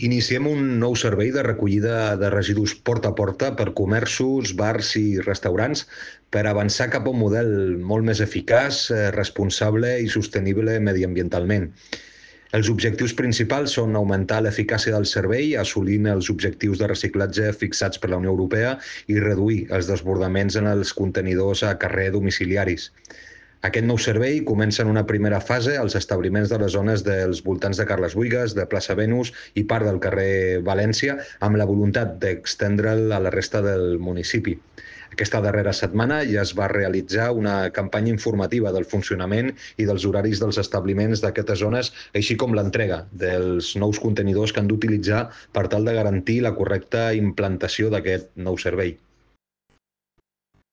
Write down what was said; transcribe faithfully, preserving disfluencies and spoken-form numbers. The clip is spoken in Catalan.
Iniciem un nou servei de recollida de residus porta a porta per comerços, bars i restaurants per avançar cap a un model molt més eficaç, eh, responsable i sostenible mediambientalment. Els objectius principals són augmentar l'eficàcia del servei, assolint els objectius de reciclatge fixats per la Unió Europea i reduir els desbordaments en els contenidors a carrer domiciliaris. Aquest nou servei comença en una primera fase als establiments de les zones dels voltants de Carles Buïgas, de Plaça Venus i part del carrer València, amb la voluntat d'estendre'l a la resta del municipi. Aquesta darrera setmana ja es va realitzar una campanya informativa del funcionament i dels horaris dels establiments d'aquestes zones, així com l'entrega dels nous contenidors que han d'utilitzar per tal de garantir la correcta implantació d'aquest nou servei.